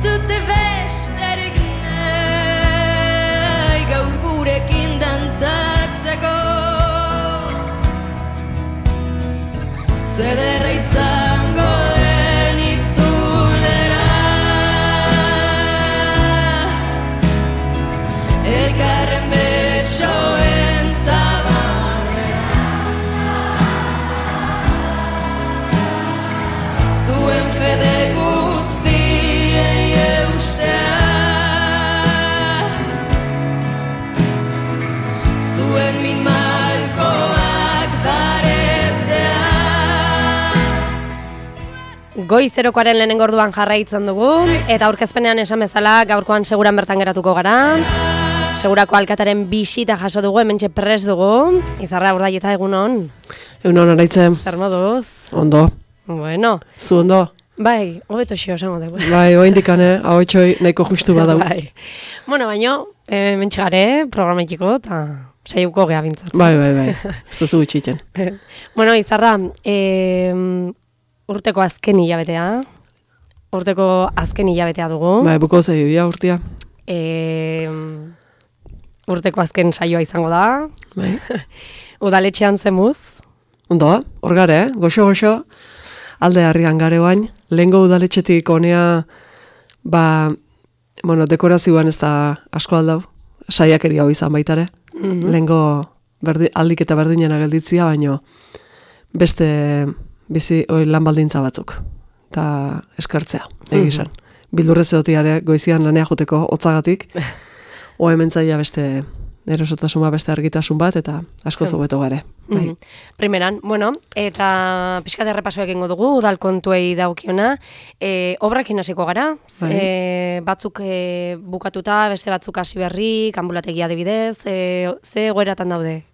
dute besterik nahi gaur gurekin dantzatzeko. Zederra izango den itzulera, elkarren besoen zabarrera, zuen fede guztiei eustea, zuen min malkoak baretzea. Goizerokoaren lehenengo orduan jarraitzen dugu, eta aurkezpenean esan bezala gaurkoan seguran bertan geratuko gara. Segurako alkataren bisita jaso dugu, hementxe prest dugu. Izarra Urdaieta, egunon. Egunon, araitzen. Zer moduz? Ondo. Bueno. Zu ondo? Bai, hobeto xio esango dugu. Bai, oindikane, hau etxoi nahiko justu badau. Bai. Bueno, baino, hementxe gare, programetiko, eta saiuko gea bintzat. Bai, ez duzu gutxiten. Bueno, Izarra, urteko azken hilabetea. Urteko azken hilabetea dugu. Bai, buko zaibia urtia. Urteko azken saioa izango da. Bai. Udaletxean zemuz. Ondo, hor gare, goxo-goxo, alde harrian gare bain. Lehengo udaletxetik honea, dekorazioan ez da asko aldau. Saiakeri hau izan baitare. Lehengo aldik eta berdinena gelditzia, baino beste bizi lan baldintza batzuk. Eta eskertzea, egizan. Bildurrez edotiare goizian lanea joteko hotzagatik. Hementzaia beste erosotasuna, beste argitasun bat, eta asko zobeto gare. Bai. Primeran, bueno, eta pixkat errepaso egingo dugu, udal kontuei daukiona. Obrakin hasiko gara, batzuk bukatuta, beste batzuk hasi berri, ambulategia adibidez, ze egoeratan daude?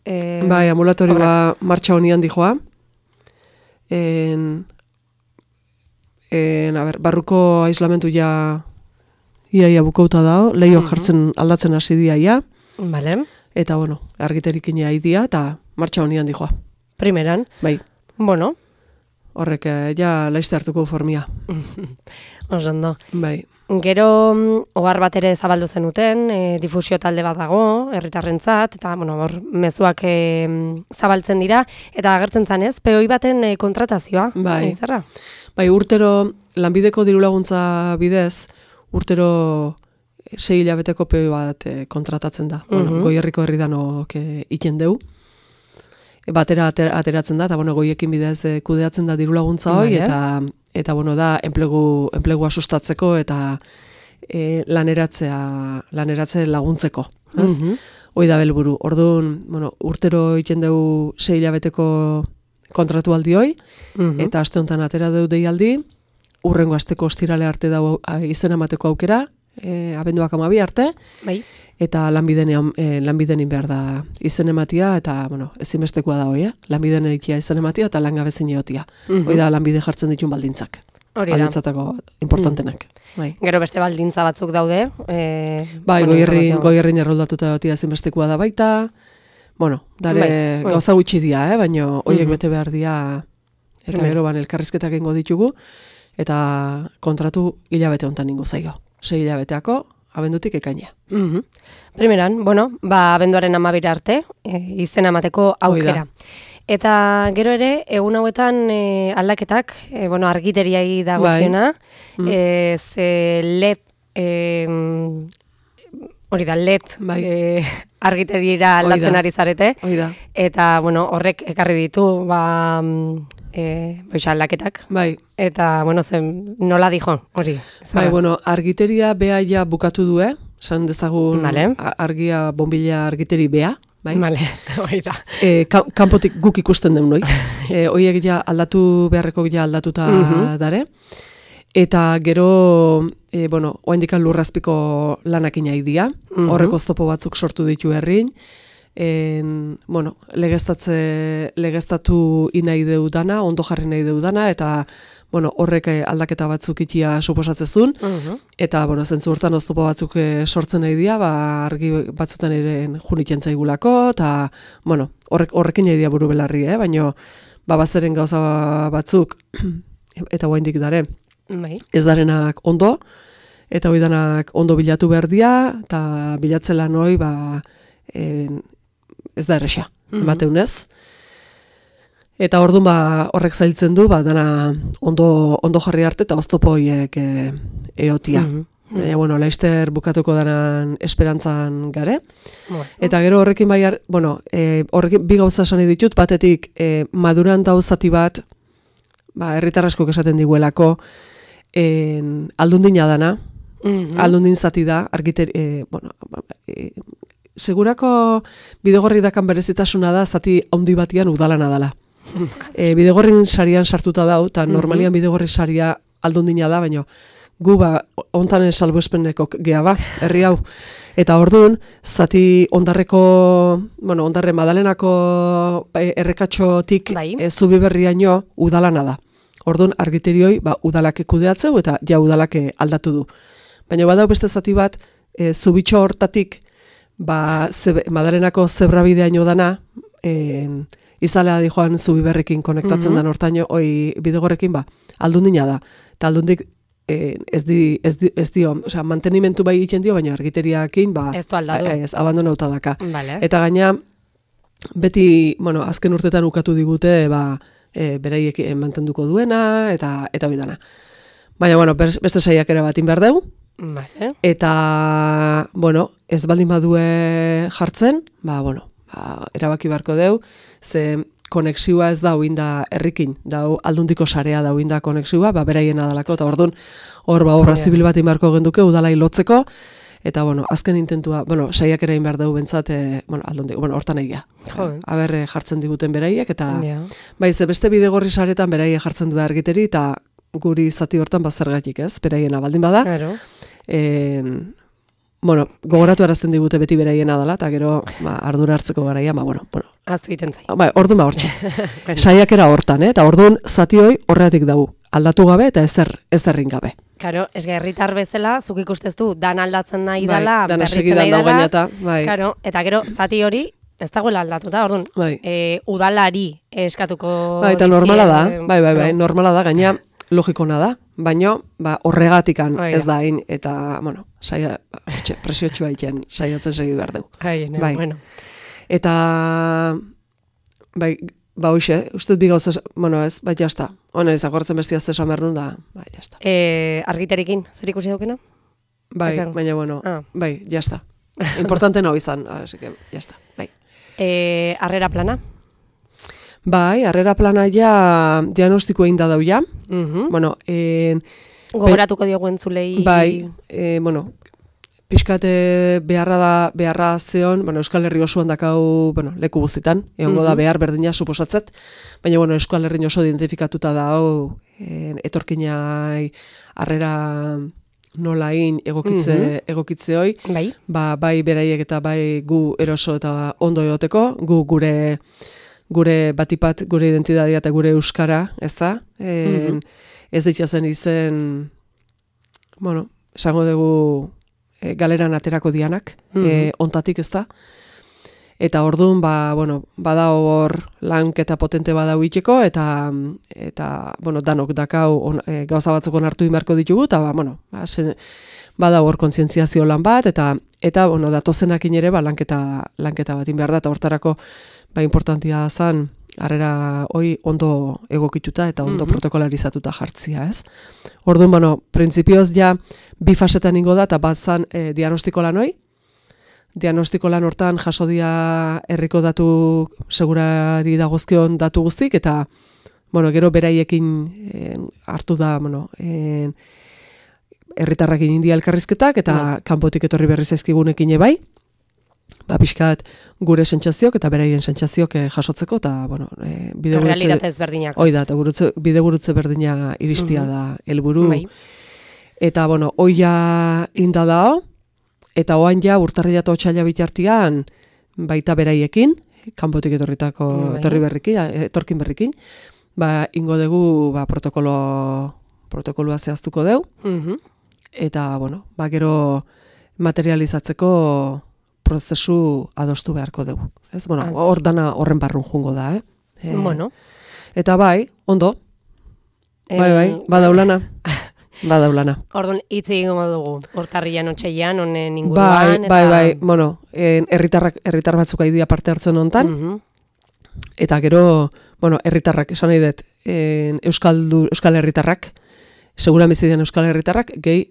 Bai, ambulatorioa martxa honian dijoa. Barruko aislamentu ia bukauta dao, leio jartzen aldatzen hasi dia ia. Vale. Eta, argiterikin ia idia, eta martxa honian dijoa. Primeran. Bai. Bueno. Horrek, ja laizte hartuko formia. Osondo. Bai. Gero, ohar bat ere zabaldu zenuten, difusio talde bat dago, herritarrentzat, eta, hor, mezuak zabaltzen dira, eta agertzen zanez, POI baten kontratazioa. Bai. Zerra? Bai, urtero, lanbideko dirulaguntza bidez, urtero 6 hilabeteko POI bat kontratatzen da. Goierriko herridanok iten deu. Batera ateratzen da, eta goiekin bidez kudeatzen da dirulaguntza hoi, eta da enplegua sustatzeko eta laneratze laguntzeko. Hoi da belburu. Orduan, urtero iten deu 6 hilabeteko kontratu aldioi, eta aste honetan atera deu deialdi, urrengo asteko ostirale arte dago izen emateko aukera, abenduak 12 arte, bai. Eta lanbidenin behar da izen ematia, eta, ezinbestekoa da hoi, lanbidenen ikia izen ematia eta langabezin egotia. Hoi da lanbide jartzen ditun baldintzak. Hori da. Baldintzatako importantenak. Gero beste baldintza batzuk daude. Bai, goierrin erroldatuta egotia ezinbestekoa da baita. Gauza gutxi dia, baina horiek bete behar dia, eta gero elkarrizketak egingo ditugu, eta kontratu hilabete honetan ingo zaio. 6 hilabeteako, abendutik ekaina. Primeran, abenduaren 12 arte, izena emateko aukera. Eta gero ere, egun hauetan aldaketak, argiteriai dagokiona, LED, hori da, LED argiteriera aldatzen ari zarete, eta horrek ekarri ditu, aldaketak. Bai. Eta, nola dijo, hori. Bai, argiteria bea ja bukatu du, san dezagun argia, bombila argiteri bea. Vale, hori da. Kanpotik guk ikusten den noi. Horiek ja aldatu beharreko ja aldatuta dare. Eta gero, oaindikan lurrazpiko lanak inai dia. Horreko oztopo batzuk sortu ditu herrin. Legeztatu inai deudana, ondo jarri nahi deudana, eta horrek aldaketa batzuk itia suposatzezun, eta zentzu urtan oztopo batzuk sortzen nahi dia, argi batzutan ere junitzen zaigulako, eta horrekin nahi dia buru belarri, baina bazeren gauza batzuk, eta guaindik dare, ez darenak ondo, eta hori danak ondo bilatu behar dira, eta bilatzela noi, ez da erresa, emateunez. Eta orduan horrek zailtzen du, dana ondo jarri arte eta oztopo horiek eotia. Bueno, Laster bukatuko danan esperantzan gare. Eta gero horrekin horrekin bi gauza esan ditut, batetik maduran dauzati bat, herritar askok esaten diguelako, aldundina dana, aldundin zati da, segurako bidegorri dakan berezitasuna da, zati handi batian udalana dala. Bidegorrin sarian sartuta dau, eta normalian bidegorri saria aldundina da, baina gu ontanen salbuespeneko geha herri hau. Eta orduan, zati ondarre Madalenako errekatxotik Zubiberriaino udalana da. Orduan, argiterioi udalak kudeatzeu eta ja udalak aldatu du. Baina badau beste zati bat, Zubitxo hortatik, Madalenako zebrabideaino dana, izalea di joan Zubiberrekin konektatzen dan hortaino, bidegorrekin aldundina da. Eta aldundik ez dio, mantenimentu bai egiten dio, baina argiteriakin ez du aldatu. Ez, abandonauta daka. Vale. Eta gaina, beti, azken urtetan ukatu digute, beraiek mantenduko duena, eta bidana. Baina, beste saiakera bat inbehar dugu. Vale. Eta, ez baldin badue jartzen, erabaki beharko dugu, ze konexioa ez da uinda herrikin, aldundiko sarea da uinda konexioa, beraien adalako, eta orduan, obra zibil bat inbarko genduke, udalai lotzeko, eta, azken intentua, saiakera inbar dugu bentsat, hortan egia. Aber jartzen diguten beraiek, eta, ze beste bidegorri saretan beraiek jartzen du argiteri, eta guri zati hortan bazergatik ez, beraiena baldin bada. Gogoratu arazten digute beti beraiena dela, eta gero ardura hartzeko garaia, Aztu egiten zai. Orduan hortxe. Saiakera hortan, eta orduan zati hoi horreatik dugu. Aldatu gabe eta ezerrin gabe. Karo, ez herritar bezala, zuk ikusteztu, dan aldatzen nahi dela, berritzen nahi dela. Eta gero zati hori, ez dagoela aldatuta, orduan, udalari eskatuko dizkie. Eta normala da, normala da, gaina logikona da, baina horregatikan ez da hain, eta, presiotxua egiten saiatzen segi behar dugu. Eta, hoxe, ustez bi gauza, ez, jazta. Honen izagortzen bestia zesan behar nun da, jazta. Argiterikin, zer ikusi daukena? Baina, jazta. Importante no izan, así que, jazta, Harrera plana? Harrera plana ja diagnostiko egin da dau ja. Gogoratuko diogu entzulei. Pixkate beharra zeon, Euskal Herri osoan dakau, leku guztitan, egongo da behar berdina suposatzet, baina, Euskal Herri oso identifikatuta dau, etorkinai harrera nolain egokitze hoi, bai beraiek eta bai gu eroso eta ondo egoteko, gu gure batipat, gure identitatea eta gure euskara, ez da? Ez ditzazen izen, esango dugu galeran aterako dianak, ontatik ez da? Eta orduan, bada hor lanketa potente badau itxeko, eta danok dakau gauza batzuk onartu imarko ditugu, eta bada hor kontzientziazio lan bat, eta datozenakin ere lanketa bat inbehar da, eta hortarako importantia zen, harrera hoi ondo egokituta eta ondo protokolarizatuta jartzia, ez? Orduan, printzipioz ja bi fasetan ingo da, eta bat zen diagnostiko lan hoi. Diagnostiko lan hortan jaso dia herriko datu segurari dagozkion datu guztik, eta gero beraiekin hartu da herritarrakin india elkarrizketak, eta kanpotik etorri berri zaizkigunekin ebai, pixkat gure sentsazioak eta beraien sentsazioak jasotzeko, eta realitate ezberdinak. Hoi da, eta bidegurutze berdina iristia da helburu. Eta, hoia inda dao, eta oan ja urtarrila eta otxaila bitartian baita beraiekin, kanpotik etorri berrikin, etorkin berrikin, ingo dugu protokoloa zehaztuko dugu, eta, gero materializatzeko prozesu adostu beharko dugu. Hor dana horren barrun jungo da, Bueno. Eta ondo. Badaulana. badaulana. Orduan, hitz egingo dugu, urtarrian otsailean, honen inguruan. Bai, bueno, herritar batzuk aidia parte hartzen hontan, eta gero, bueno, herritarrak, esan nahi dut, euskal herritarrak, seguran bizi den euskal herritarrak, gehi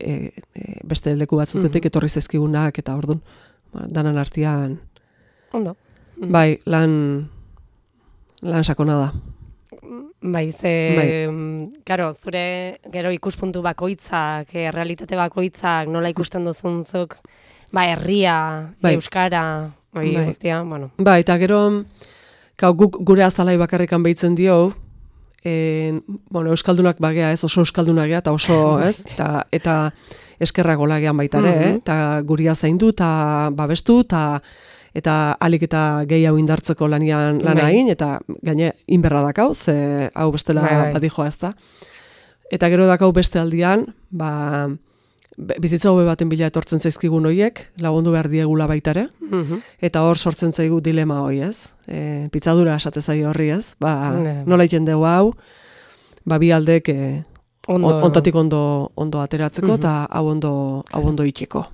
beste leku batzutetik etorri zaizkigunak, eta orduan, danan artean, ondo. Bai, lan sakona da. Bai, karo, zure gero ikuspuntu bakoitzak, realitate bakoitzak, nola ikusten duzuntzuk, herria, euskara, guztia, bueno. Bai, eta gero, guk gure azalai bakarrikan behitzen dio, bueno, euskaldunak bagea, ez, oso euskaldunak gea, eta oso, ez, eta eskerrak olagean baitare, eta guria zaindu, eta babestu, eta alik eta gehiago indartzeko lanain, eta gaine inberra dakau, ze hau bestela badijoa ez da. Eta gero dakau beste aldian, bizitza hobe baten bila etortzen zaizkigun hoiek, lagundu behar diegula baitare, eta hor sortzen zaigu dilema hoi, ez? Pitzadura esate zaio horri, ez? Nola iten dugu hau, bi aldek ontatik ondo ateratzeko, eta hau ondo itxeko.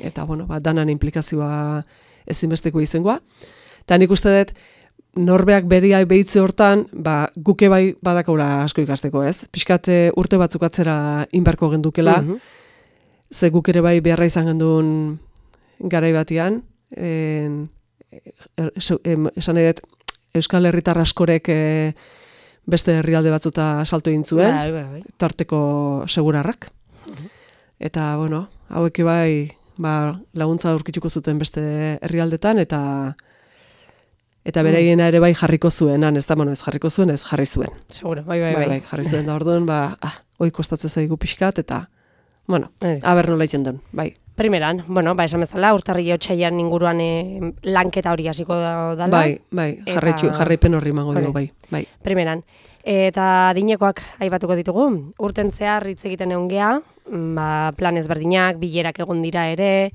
Eta, bueno, danan implikazioa ezinbesteko izengoa. Eta nik uste dut, norbeak beria behitze hortan, guke bai badakaula asko ikasteko, ez? Piskat urte batzuk atzera inbarko gendukela, ze guk ere bai beharra izan genduen garai batian, esan edet, Euskal Herritar askorek beste herrialde batzuta salto egin zuen, tarteko segurarrak. Eta, bueno, hauek bai, laguntza aurkituko zuten beste herrialdetan, eta beraiena ere bai jarriko zuen, ez da, ez jarriko zuen, ez jarri zuen. Seguro, bai. Jarri zuen da orduan, hoi kostatzen zaigu pixkat, eta, bueno, aber nola iten duen, bai. Primeran, esan bezala, urtarri otsailean inguruan lanketa hori hasiko dela. Bai, jarraipen horri mango dugu, bai. Primeran. Eta adinekoak aipatuko ditugu, urten zehar hitz egiten egon gea, plan ezberdinak, bilerak egon dira ere,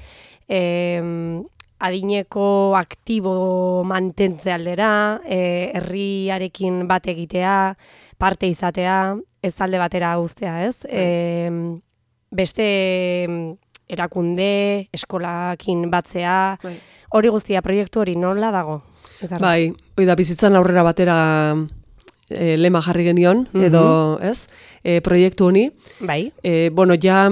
adineko aktibo mantentze aldera, herriarekin bat egitea, parte izatea, ez alde batera guztea, ez? Beste erakunde, eskolakin batzea, hori guztia, proiektu hori nola dago? Bai, hori da bizitzan aurrera batera lema jarri genion, edo, ez, proiektu honi. Bai. Bueno, ja,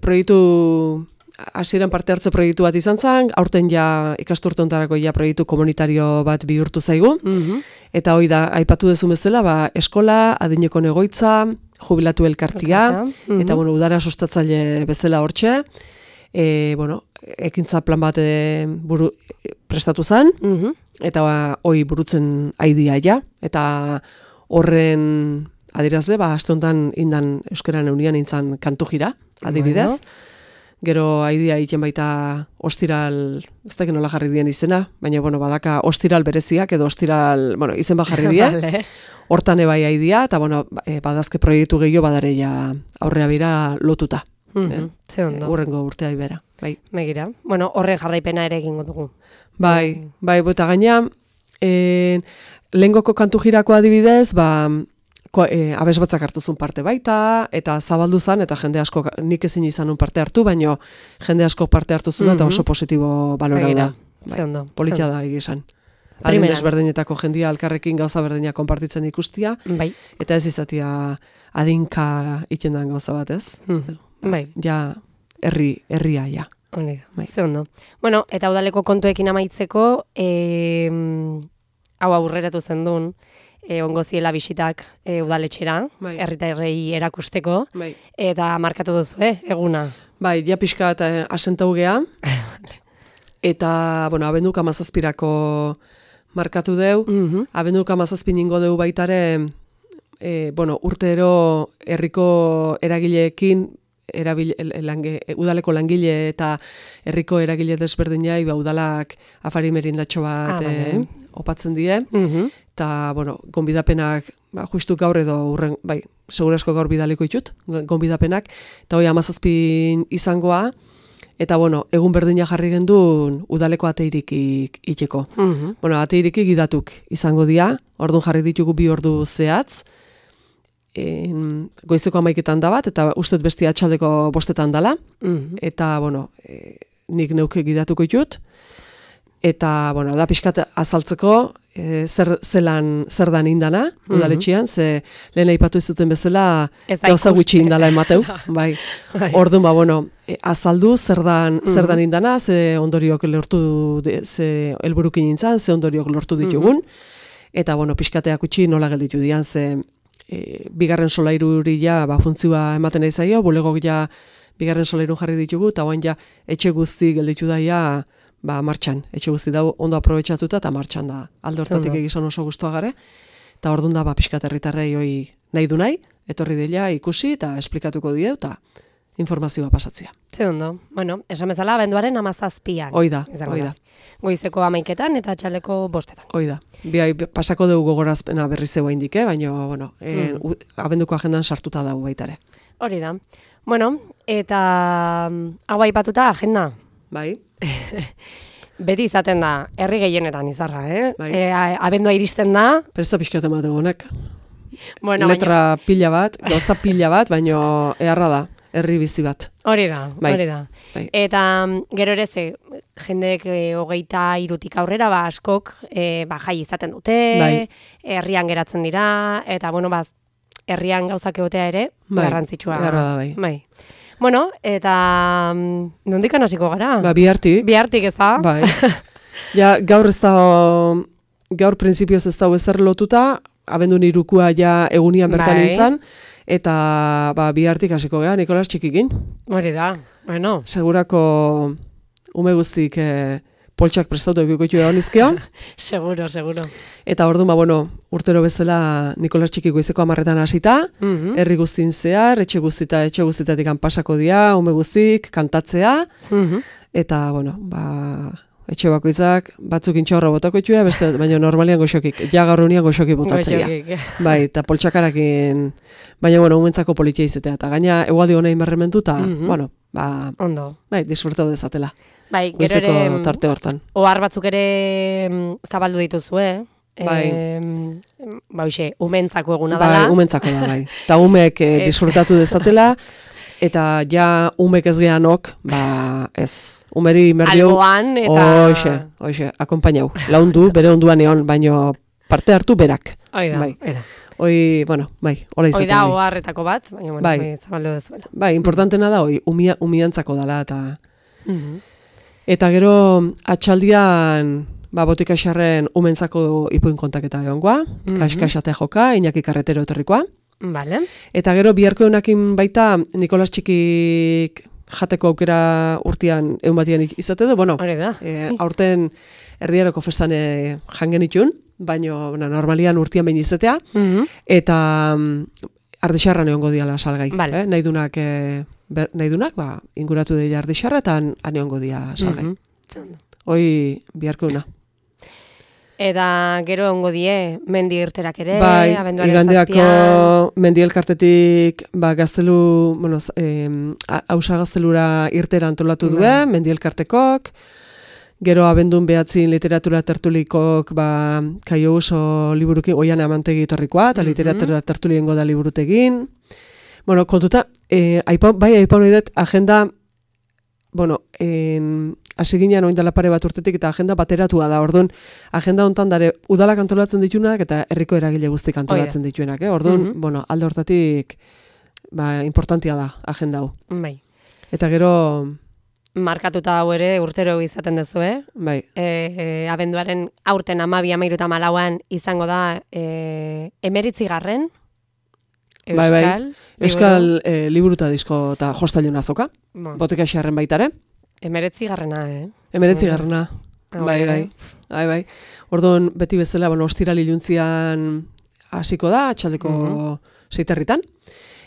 proiektu, hasieran parte hartze proiektu bat izan zen, aurten ja ikasturte hontarako ja proiektu komunitario bat bihurtu zaigu, eta hori da, aipatu dezun bezala, eskola, adineko egoitza, jubilatu elkartia, eta, bueno, udara sustatzaile bezala hortxe, bueno, ekintza plan bat prestatu zen, eta hoi burutzen aidia ja, eta horren adirazle, aste honetan indan euskaran eunian intzan kantu jira, adibidez. Gero aidia egiten baita ostiral, ez da nola jarri dien izena, baina badaka ostiral bereziak edo ostiral, izen bat jarri dien, hortan ebai aidia, eta badazke proiektu gehiago badare ja aurrea bira lotuta. Ze ondo. Urrengo urtea ibera. Bai. Megira. Horren jarraipena ere egingo dugu. Bai, eta gaina, lehengoko kantu jirako adibidez, abes batzak hartuzun parte baita, eta zabaldu zen, eta jende asko, nik ezin izanun parte hartu, baina jende asko parte hartuzun, eta oso positibo balorau da. Politia da egizan. Adin desberdinetako jendia alkarrekin gauza berdinak konpartitzen ikustia, eta ez izatia adinka itendan gauza bat, ez? Ja, herria, ja. Ze ondo. Eta udaleko kontuekin amaitzeko, hau aurreratu zen duen, ongo ziela bisitak udaletxera, herritarrei erakusteko, eta markatu duzu, eguna. Bai, ja pixka eta asentau gea, eta, abenduk 17 markatu deu, abenduk 17 ningo deu baitare, urtero herriko eragileekin, udaleko langile eta herriko eragile desberdinai udalak afari merindatxo bat opatzen die, eta, gonbidapenak, justu gaur edo urren, segurasko gaur bidaliko ditut, gonbidapenak, eta hoi 17 izangoa, eta, egun berdina jarri gendun udaleko ateirikik itxeko. Ateirikik idatuk izango dia, orduan jarri ditugu 2 ordu zehatz, goizeko 11etan da bat, eta uste dut beste atxaldeko 5etan dala, eta, bueno, nik neuke gidatuko ditut, eta, bueno, da pixkat azaltzeko, zer dan indana, udaletxean, ze lehen aipatu izuten bezala, gauza gutxi indala emateu, bai. Orduan, bueno, azaldu zer dan indana, ze ondoriok lortu, ze helburukin nintzen, ze ondoriok lortu ditugun, eta, bueno, pixkateak utxi nola gelditu dian, ze bigarren solairuri ja, funtzioa ematen nahi zaio, bulegok ja bigarren solairun jarri ditugu, eta oain ja etxe guzti gelditu daia, martxan, etxe guzti da ondo aprobetxatuta eta martxan da. Alde hortatik egizan oso guztua gare, eta orduan da pixkat herritarrei hoi nahi du nahi, etorri dela ikusi eta esplikatuko die eta informazioa pasatzea. Ze ondo. Bueno, esan bezala, abenduaren 17an. Hoi da. Goizeko 11etan eta atxaldeko 5etan. Hoi da. Pasako dugu gogorazpena berri zeu haindik, baina, bueno, abenduko agendan sartuta dago baitare. Hori da. Bueno, eta hau aipatuta agenda. Bai. Beti izaten da, herri gehienetan izarra, Bai. Abendua iristen da. Pereza pixkat ematen honek. Bueno, letra pila bat, gauza pila bat, baina eharra da, herri bizi bat. Hori da, bai. Hori da. Bai. Eta gero ere ze, jendek 23 aurrera, askok jai izaten dute, bai. Herrian geratzen dira, eta bueno, herrian gauzak egotea ere, bai. Garrantzitsua. Eharra da, bai. Bueno, eta nondik hasiko gara? Bihartik. Bihartik ez da? Bai. Ja, gaur printzipioz ez dago ezer lotuta, abendun irukua ja egunian bertan nintzen, eta bihartik hasiko gara, Nikolas Txikikin. Hori da, bueno. Segurako ume guztik poltsak prestautu egikoitu egon izkio. Seguro. Eta orduan, bueno, urtero bezala Nikolas Txiki goizeko 10etan hasita, herri guztin zehar, etxe guztitatik pasako dira, ume guztik, kantatzea, eta, bueno, etxe bakoitzak batzuk intxaurra botako itxua, baina normalian goxokik, ja gaur unian goxokik botatzea. Bai, eta poltsakarakin, baina, bueno, umentzako politia izatea, eta gaina egualdi honein berrementu, eta, bueno, ondo. Bai, disfrutau dezatela. Bai, gero ere, tarte hortan. Ohar batzuk ere zabaldu dituzue, Bai. Umentzako eguna dela. Bai, umentzako da, bai. Eta umek disfrutatu dezatela, eta ja umek ez gehanok, ez. Umeri merdio. Alboan, eta... Hoxe, akompainau. Laundu, bere onduan egon, baino parte hartu berak. Oi da, bai. Bueno, bai, hola izatea. Hoi da, oharretako bat, baina, bueno, bai. Zabaldu dezuela. Bai, importantena da, umiantzako dela, eta... Eta gero, atxaldian, botika xarren umentzako ipuin kontaketa egongoa, kaskaxatea joka, Iñaki Karretero etorrikoa. Vale. Eta gero, biharko egunakin baita, Nikolas Txikik jateko aukera urtean egun batian izate du. Bueno, aurten erdiaroko festan jangen itxun, baina normalian urtean behin izatea, eta ardixarran egongo diala salgai. Vale. Nahi dunak, inguratu dira ardixarra, eta han egongo dia salgai. Hoi biharko una. Eta gero egongo die mendi irterak ere, bai, abenduaren igandeako 7an. mendi elkartetik gaztelu, bueno, hausa gaztelura irtera antolatu duen, mendi elkartekok, gero abendun behatzin literatura tertulikok Kaio Uso liburukin, oian amantegi torrikoa, eta literatura tertuliengo da liburutegin. Bueno, kontuta, aipau nahi dut, agenda, bueno, hasi ginean oin dela pare bat urtetik eta agenda bateratua da. Orduan, agenda hontan dare udalak antolatzen dituenak eta herriko eragile guztik antolatzen dituenak. Orduan, bueno, alde hortatik importantia da agenda hau. Bai. Eta gero... Markatuta hau ere urtero izaten duzu, Bai. Abenduaren aurten 12-13an izango da 19. Euskal liburuta disko eta jostailun azoka. Botika xarren baitare. 19. 19. Bai. Orduan, beti bezala, ostirali iluntzian hasiko da, atxaldeko 6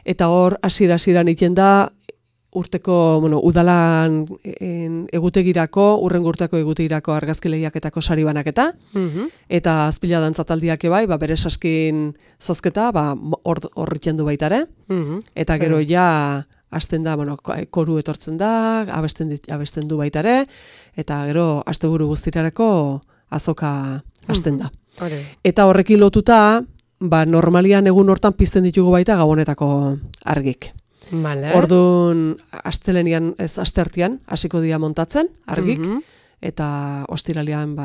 eta hor, hasiera iten da, urteko, udalan egutegirako, urrengo urteko egutegirako argazki lehiaketako sari banaketa, eta azpila dantzataldiak ebai, bere saskin zozketa, hor iten du baitare, eta gero ja, hasten da, koru etortzen da, abesten du baitare, eta gero, asteburu guztirarako azoka hasten da. Eta horrekin lotuta, normalian egun hortan pizten ditugu baita gabonetako argik. Vale. Orduan, astelenian, ez asteartean, hasiko dira montatzen, argik, eta ostiralean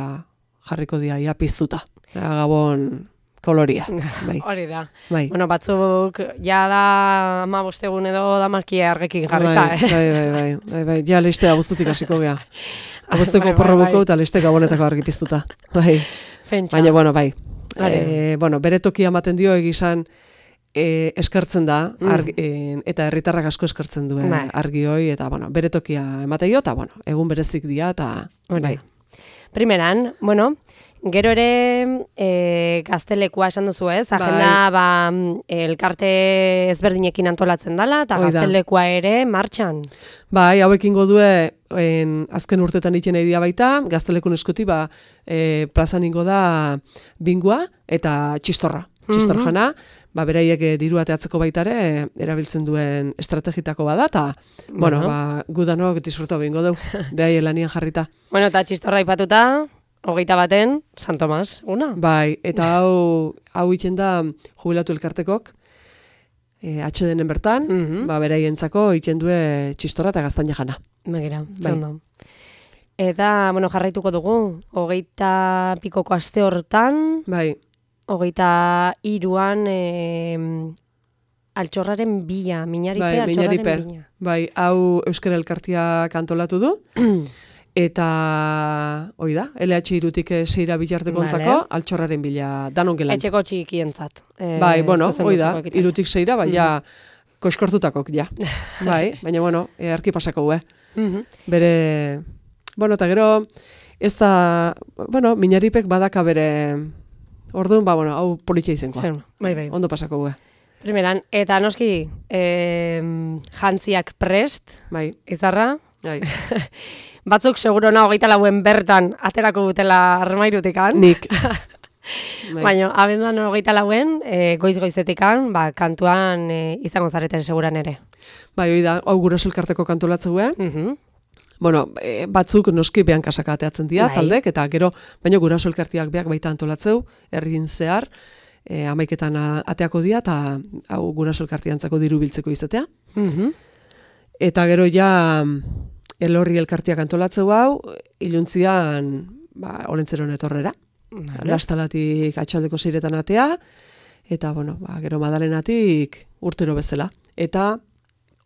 jarriko dira ia piztuta. Gabon koloria. Bai. Hori da. Bai. Bueno, batzuk, ja da 15 egun edo da markia argekin jarrita, Bai. Ja listea guztutik hasiko gea. Abuztuko porrobuko eta liste gabonetako argi piztuta. Bai. Baina, bueno, bai. Bere tokia ematen dio egizan eskartzen da, eta herritarrak asko eskartzen du argi hoi, eta bere tokia emateio, eta egun berezik dia, eta bai. Primeran, gero ere gaztelekua esan duzu ez, agenda elkarte ezberdinekin antolatzen dela, eta gaztelekua ere martxan. Bai, hauekin godue azken urtetan iten nahi dia baita, gaztelekun eskuti plazan ingo da bingua eta txistorra. Txistor jana, beraiek diru ateatzeko baitare erabiltzen duen estrategitako bada, eta gudanok disfruta bingo dugu, behai lanian jarrita. Eta txistorra ipatuta, 21, San Tomas, una? Bai, eta hau iten da jubilatu elkartekok, HDN bertan, beraientzako iten due txistorra eta gaztaina jana. Begira, zondo. Eta, jarraituko dugu, 20 pikoko aste hortan, bai. 23an altxorraren bila, altxorraren bila. Bai, hau Euskara Elkartiak antolatu du, eta, hoi da, LH irutik seira bilartekontzako, altxorraren bila, danon gelan. Etxeko txikientzat. Bai, hoi da, irutik seira, bai, ja, koiskortutakok, ja. Bai, baina, arki pasako Bere, eta gero, ez da, Miñaripek badaka bere... Orduan, hau politxe izenkoa. Bai. Ondo pasako gue. Primeran, eta noski, jantziak prest, izarra. Bai. Batzuk segurona 24 bertan aterako dutela armairutikan. Nik. Baina, abenduan 24 goiz-goizetikan, kantuan izango zareten seguran ere. Bai, hoi da, hau Guraso Elkarteko kantolatze gue. Batzuk noski behan kasaka ateatzen dira, taldek, eta gero, baina Guraso Elkartiak beak baita antolatzeu, herrin zehar, 11etan ateako dira, eta hau Guraso Elkartiantzako diru biltzeko izatea. Eta gero ja, Elorri Elkartiak antolatzeu hau, iluntzian, olentzeron etorrera. Lastalatik atxaldeko 6etan atea, eta, gero Madalenatik urtero bezala. Eta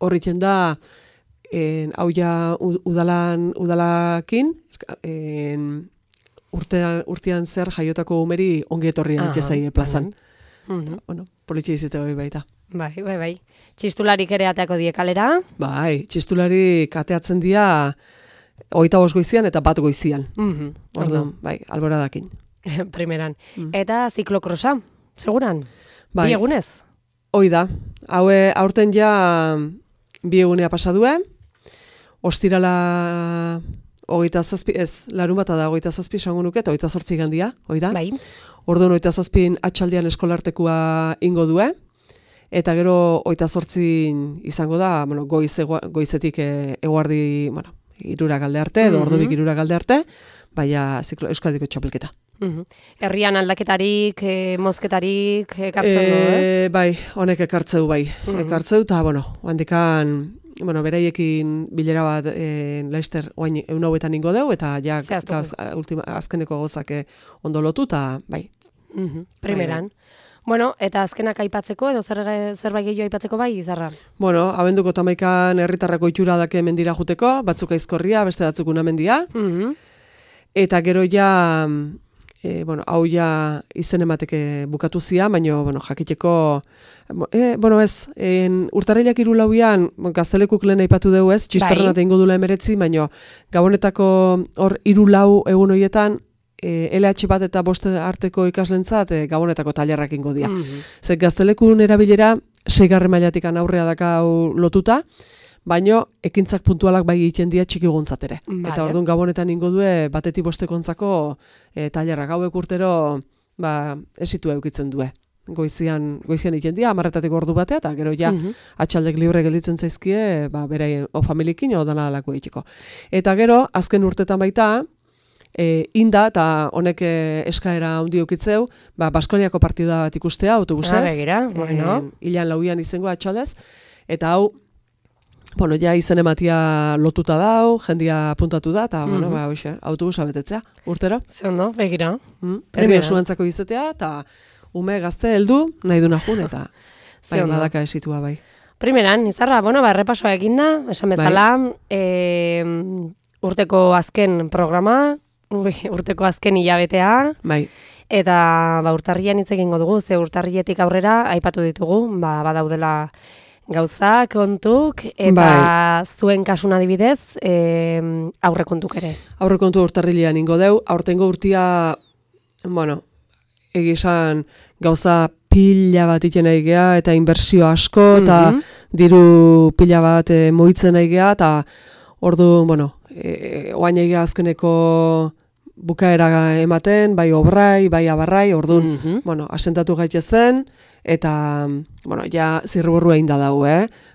horritzen da, hau ja udalakin, urtean zer jaiotako umeri ongi etorrian itxezai plazan. Politxe izite hori baita. Bai. Txistularik ere ateako die kalera? Bai, txistularik ateatzen dia 25 goizian eta 1 goizian. Orduan, bai, alboradakin. Primeran. Eta ziklokrosa, seguran? Bi egunez? Hoi da. Aurten ja 2 egunea pasadue. Ostirala 27, larun bata da 27 esango nuke, eta 28 gandia, hoi da? Bai. Orduan 27 atxaldean eskolartekua ingo due, eta gero 28 izango da, goizetik eguardi, 3 galde arte, edo ordubik 3 galde arte, baina Euskadiko txapelketa. Herrian aldaketarik, mozketarik ekartzen du, ez? Bai, honek ekartzeu, ekartzeu, eta, handikan, beraiekin bilera bat Laister oain eunauetan ingo deu, eta ja azkeneko gozak ondo lotu, eta bai. Primeran. Eta azkenak aipatzeko, edo zerbait gehiago aipatzeko bai, izarra? Abenduko 11an herritarrako itxura dake mendira juteko, batzuk aizkorria, beste batzuk unamendia, eta gero ja, hau ja izen emateke bukatu zia, baina, jakiteko, urtarrilak 3 gaztelekuk lehen aipatu dugu ez, txistorren eta ingo dula 19, baina gabonetako hor 3 egun horietan, LH bat eta 5 arteko ikaslentzat gabonetako tailerrak ingo dira. Zer gaztelekun erabilera 6. mailatikan aurrea dakau lotuta, baino ekintzak puntualak bai egiten dira txikiguntzat ere. Eta orduan gabonetan ingo due batetik 5 tailerrak hauek urtero esitu eukitzen due. Goizian egiten dira, 10 ordu batea, eta gero ja atxaldek libre gelditzen zaizkie, beraien o familiekin o dana alako egiteko. Eta gero, azken urtetan baita, inda, eta honek eskaera handi ukitzeu, Baskoniako partida bat ikustea, autobusez. Begira, bueno. Ilan lauian izango atxaldez, eta hau, bueno, ja izen ematia lotuta dau, jendia apuntatu da, eta, bueno, autobusa betetzea, urtero. Zeondo, begira. Herri osuantzako izatea, eta ume gazte heldu nahi duna jun, eta badaka esitua bai. Primeran, Izarra, errepasoa eginda, esan bezala, urteko azken programa, urteko azken hilabetea, bai. Eta urtarrian hitz egingo dugu, ze urtarrietik aurrera aipatu ditugu, badaudela gauzak, kontuk, eta zuen kasun adibidez, aurrekontuk ere. Aurrekontu urtarrilean ingo deu, aurtengo urtia, egizan gauza pila bat iten aigea, eta inbertsio asko, eta diru pila bat moitzen aigea, eta ordu, oain aigea azkeneko bukaera ematen, bai obrai, bai abarrai, orduan, asentatu gaitezen, eta, ja zirriborrua inda dau,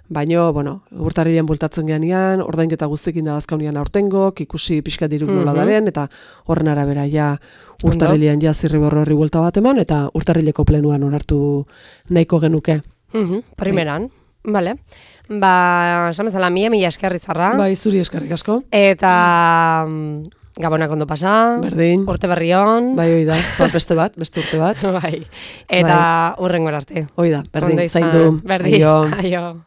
baino, urtarrilean bultatzen geanian, ordainketa guztekin da azkaunian aurtengok, ikusi pixka diruk nola daren, eta horren arabera ja urtarrilean ja zirriborro horri buelta bat eman, eta urtarrileko plenuan onartu nahiko genuke. Primeran, bale. Esan bezala, mila eskerri Izarra. Bai, zuri eskerrik asko. Eta Gabonak ondo pasa. Berdin. Urte berri on. Bai, hoi da. Beste urte bat. Bai. Eta hurrengora arte. Hoi da, berdin, zaindu. Berdin. Aio.